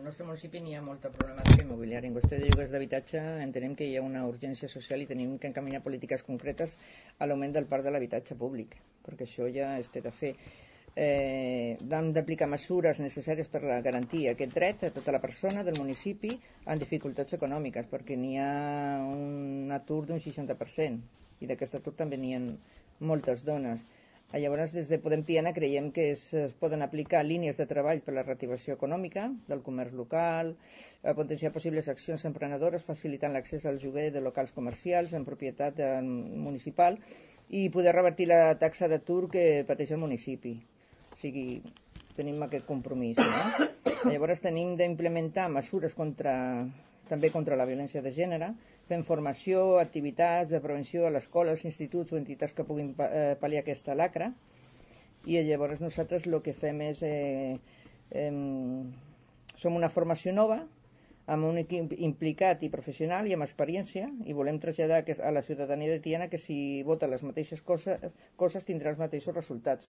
nostre municipi n'hi ha molta problemàtica immobiliària. En qüestió de lloguers d'habitatge entenem que hi ha una urgència social i tenim que encaminar polítiques concretes a l'augment del parc de l'habitatge públic, perquè això ja es té de fer. Hem d'aplicar mesures necessàries per garantir aquest dret a tota la persona del municipi en dificultats econòmiques, perquè n'hi ha un atur d'un 60% i d'aquest atur també n'hi ha moltes dones. Llavors, des de Podem Tiana creiem que es poden aplicar línies de treball per a la reactivació econòmica del comerç local, potenciar possibles accions emprenedores facilitant l'accés al lloguer de locals comercials en propietat municipal i poder revertir la taxa d'atur que pateix el municipi. O sigui, tenim aquest compromís. No? Llavors tenim d'implementar mesures també contra la violència de gènere, fent formació, activitats de prevenció a l'escola, als instituts o entitats que puguin pal·liar aquesta lacra. I llavors nosaltres el que fem és... som una formació nova, amb un equip implicat i professional i amb experiència, i volem traslladar a la ciutadania de Tiana que si vota les mateixes coses tindrà els mateixos resultats.